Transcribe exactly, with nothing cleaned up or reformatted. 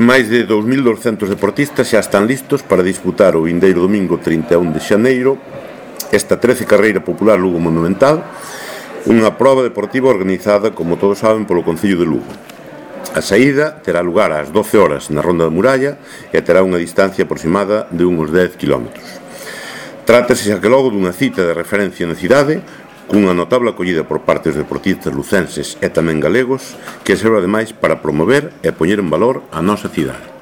Máis de dous mil douscentos deportistas xa están listos para disputar o vindeiro domingo trinta e un de xaneiro esta trece carreira popular Lugo Monumental, unha proba deportiva organizada, como todos saben, polo Concello de Lugo. A saída terá lugar ás doce horas na Ronda da Muralla e terá unha distancia aproximada de uns dez quilómetros. Trátase xa que logo dunha cita de referencia na cidade, cunha notable acollida por parte dos deportistas lucenses e tamén galegos, que serve ademais para promover e poñer en valor a nosa cidade.